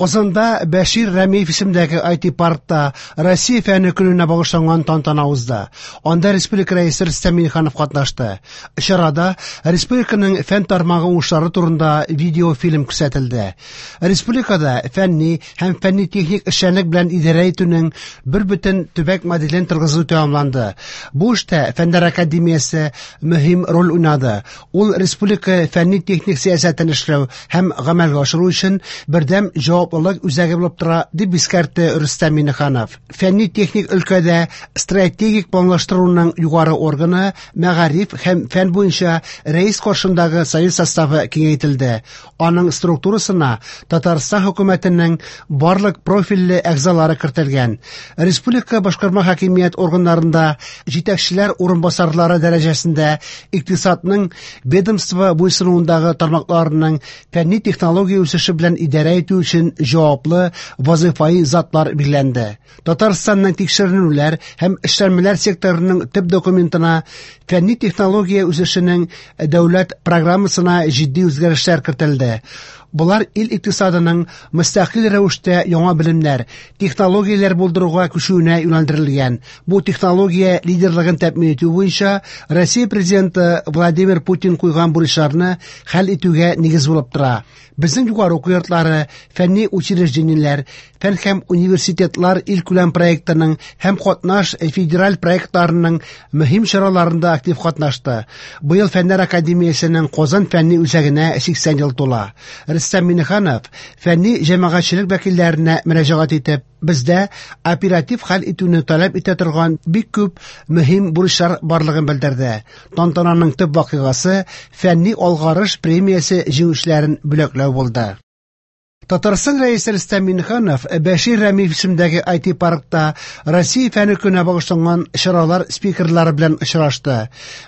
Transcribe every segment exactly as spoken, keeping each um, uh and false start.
Казанда Бәшир Рәмиев исемендәге ай ти-паркта Россия фәне көненә багышланган тантана узды. Анда республика рәисе Рөстәм Миңнеханов катнашты. Чарада республиканың фән тармагы уңышлары турында видеофильм күрсәтелде. Республикада фәнни һәм фәнни-техник эшчәнлек белән идарә итүнең бер бөтен төбәк моделен торгызу тәмамланды. Бу эштә Фәннәр академиясе мөһим роль уйнады. Ул республика фәнни-техник сәясәтен эшләү һәм гамәлгә ашыру өчен бердәм җаваплылык үзәге булып тора, дип искәртте Рөстәм Миңнеханов. Фәнни-техник өлкәдә стратегик планлаштыруның югары органы мәгариф һәм фән буенча рәис каршындагы совет составы киңәйтелде. Аның структурасына Татарстан хөкүмәтенең барлык профильле әгъзалары кертелгән. Республика башкарма хакимият органнарында җитәкчеләр урынбасарлары дәрәҗәсендә икътисадның ведомство буйсынуындагы тармакларының фәнни технология үсеше белән идарә итү өчен җаваплы вазифаи затлар билгеләнде. Татарстанның тикшеренүләр һәм эшләнмәләр секторының төп документына фәнни технология үсешенең дәүләт программасына җитди үзгәрешләр кертелде. Болар ил икътисадының мөстәкыйль рәвештә яңа белемнәр, технологияләр булдыруга күчүенә юнәлдерелгән. Бу технология лидерлыгын тәэмин итү буенча Россия президенты Владимир Путин куйган бурычларны хәл итүгә нигез булып тора. Безнең югары уку йортлары, фәнни учреждениеләр, фән һәм университетлар илкүләм проектының һәм катнаш федераль проектларының мөһим чараларында актив катнашты. Быел Фәннәр академиясенең Казан фәнни үзәгенә сиксән ел тула. Рөстәм Миңнеханов фәнни җәмәгатьчелек вәкилләренә мөрәҗәгать итеп, бездә оператив хәл итүне таләп итә торган бик күп мөһим бурычлар барлыгын белдерде. Тантананың төп вакыйгасы фәнни алгарыш премиясе җиңүчеләрен бүләкләү булды. Татарстан рәисе Рөстәм Миңнеханов Бәшир Рәмиев исемендәге ай ти-паркта Россия фәне көненә багышланган чаралар спикерлары белән очрашты.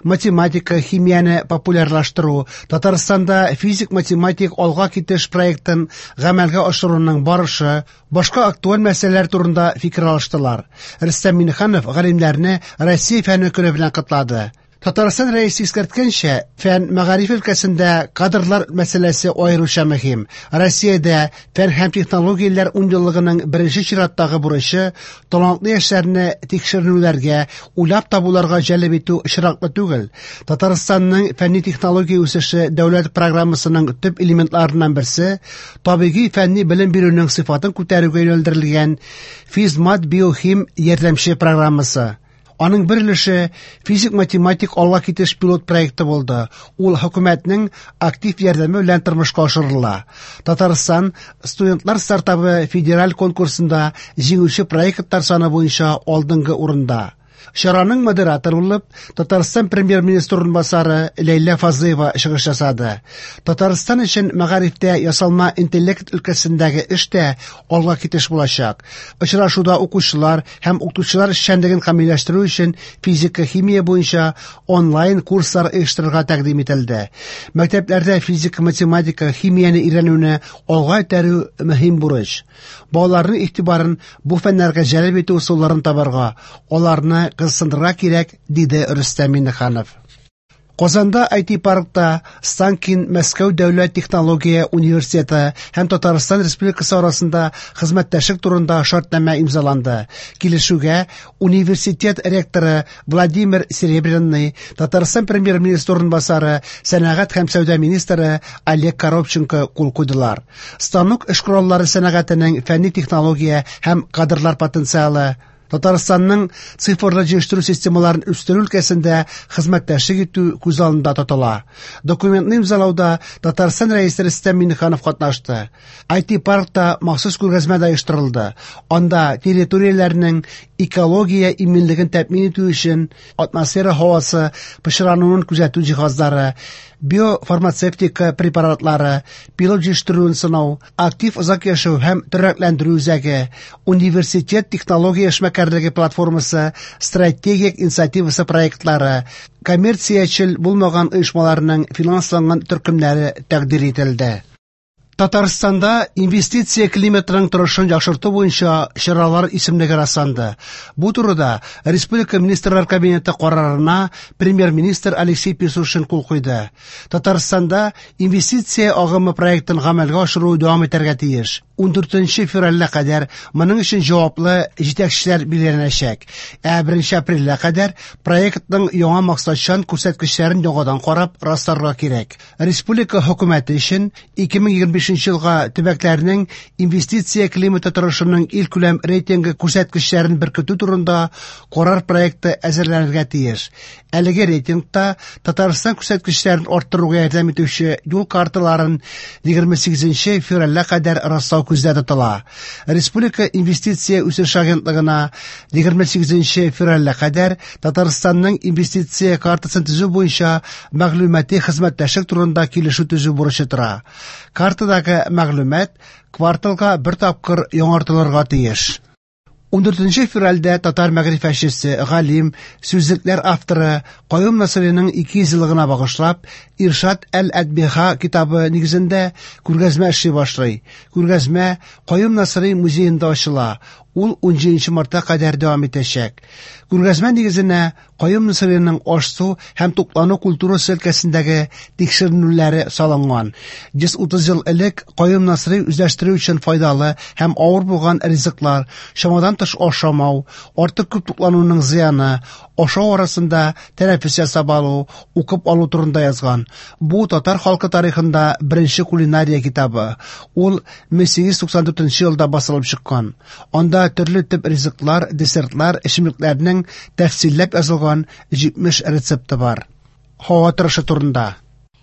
Математика, химияне популярлаштыру, Татарстанда физик-математик алга китеш проектын гамәлгә ашыруның барышы, башка актуаль мәсьәләләр турында фикер алыштылар. Рөстәм Миңнеханов галимнәрне Россия фәне көне белән котлады. Татарстан рәисе искәрткәнчә, фән мәгариф өлкәсендә кадрлар мәсьәләсе аеруча мөһим. Россиядә фән һәм технологияләр унъеллыгының беренче чираттагы бурычы талантлы яшьләрне тикшеренүләргә, уйлап табуларга җәлеп итү очраклы түгел. Татарстанның фәнни технология үсеше дәүләт программасының төп элементларыннан берсе табигый фәнни белем бирүнең сыйфатын күтәрүгә юнәлдерелгән Физмат биохим ярдәмче программасы. Аның бер өлеше физик-математик алга китеш пилот проекты булды. Ул хөкүмәтнең актив ярдәме белән тормышка ашырыла. Татарстан студентлар стартабы федераль конкурсында җиңүче проектлар саны буенча алдынгы урында. Чараның модераторы булып Татарстан премьер-министры урынбасары Ләйлә Фазлыева чыгыш ясады. Татарстан өчен мәгарифтә ясалма интеллект өлкәсендәге эш тә алга китеш булачак. Очрашуда укучылар һәм укытучылар эшчәнлеген камилләштерү өчен физика, химия буенча онлайн курслар оештырырга тәкъдим ителде. Мәктәпләрдә физика, математика, химияне өйрәнүне алга этәрү мөһим бурыч. Балаларның игътибарын бу фәннәргә җәлеп итү ысулларын табарга, аларны кызыксындырырга кирәк, диде Рөстәм Миңнеханов. Казанда ай ти-паркта Станкин Мәскәү дәүләт технология университеты һәм Татарстан Республикасы арасында хезмәттәшлек турында шартнамә имзаланды. Килешүгә университет ректоры Владимир Серебряный, Татарстан премьер-министры урынбасары, сәнәгать һәм сәүдә министры Олег Коробченко кул куйдылар. Станок эш кораллары сәнәгатенең фәнни технология һәм кадрлар потенциалы, Татарстанның цифрлы җыештыру системаларын үстерү өлкәсендә хезмәттәшлек итү күз алдында тотыла. Документны имзалауда Татарстан рәисе Рөстәм Миңнеханов катнашты. ай ти-паркта махсус күргәзмә дә оештырылды. Анда территорияләрнең экология иминлеген тәэмин итү өчен атмосфера һавасы пычрануын күзәтү җиһазлары, биофармацевтика препаратлары, пилот җыештыруын сынау, актив озак яшәү һәм тернәкләндерү үзәге, университет технология эшмәкәрлеге платформасы, стратегик инициативасы проектлары, коммерциячел булмаган оешмаларның финансланган төркемнәре тәкъдир ителде. Татарстанда инвестиция климатының торышын яхшырту буенча чаралар исемлеге расланды. Бу турыда Республика Министрлар Кабинеты карарына премьер-министр Алексей Песошин кул куйды. Татарстанда инвестиция агымы проектын гамәлгә ашыру дәвам итәргә тиеш. Ундүртенче февральгә кадәр моның өчен җаваплы җитәкчеләр билгеләнәчәк. Ә беренче апрельгә кадәр проектның яңа максатчан күрсәткечләрен яңадан карап расларга кирәк. Республика хөкүмәте өчен ике мең егерме бишенче елга төбәкләрнең инвестиция климаты торышының илкүләм рейтингы күрсәткечләрен беркетү турында карар проекты әзерләнергә тиеш. Әлеге рейтингта Татарстан күрсәткечләрен арттыруга ярдәм итүче юл карталарын егерме сигезенче февральгә кадәр раслау күздә тотыла. Республика инвестиция үсеш агентлыгына егерме сигезенче февральгә кадәр Татарстанның инвестиция картасын төзү буенча мәгълүмати хезмәттәшлек турында килешү төзү бурычы тора. Картадагы мәгълүмат кварталга бер тапкыр яңартылырга тиеш. Ундүртенче февральдә татар мәгърифәтчесе, галим, сүзлекләр авторы Каюм Насыйриның ике йөз еллыгына багышлап Иршат әл-Әдбиха китабы нигезендә күргәзмә эшли башлый. Күргәзмә Каюм Насыйри музеенда ачыла. Ул унҗиденче мартка кадәр дәвам итәчәк. Күргәзмә нигезенә Каюм Насыйриның аш-су һәм туклану культурасы өлкәсендәге тикшеренүләре салынган. Йөз утыз ел элек Каюм Насыйри үзләштерү өчен файдалы һәм авыр булган ризыклар, чамадан тыш ашамау, артык күп туклануның зыяны, ашау арасында тәнәфес ясап алу, укып алу турында язган. Бу татар халкы тарихында беренче кулинария китабы. Ул мең сигез йөз туксан дүртенче елда басылып чыккан. Анда төрле тип ризыклар, десертлар, эчемлекләрнең тәфсилләп язылган җитмеш рецепты бар. Һава торышы турында.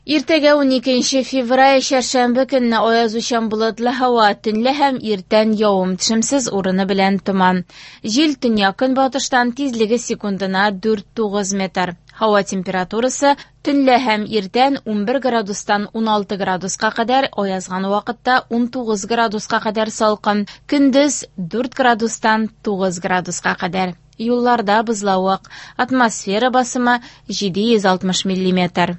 Иртәгә уникенче февраль чәршәмбе көнне аязучан болытлы һава, төнлә һәм иртән явым-төшемсез, урыны белән томан. Җил төньяк-көнбатыштан, тизлеге секундына дүрт тугыз метр. Һава температурасы төнлә һәм иртән унбер градустан уналты градуска кадәр, аязган вакытта унтугыз градуска кадәр салкын, көндез дүрт градустан тугыз градуска кадәр. Юлларда бозлавык, атмосфера басымы җиде йөз алтмыш миллиметр.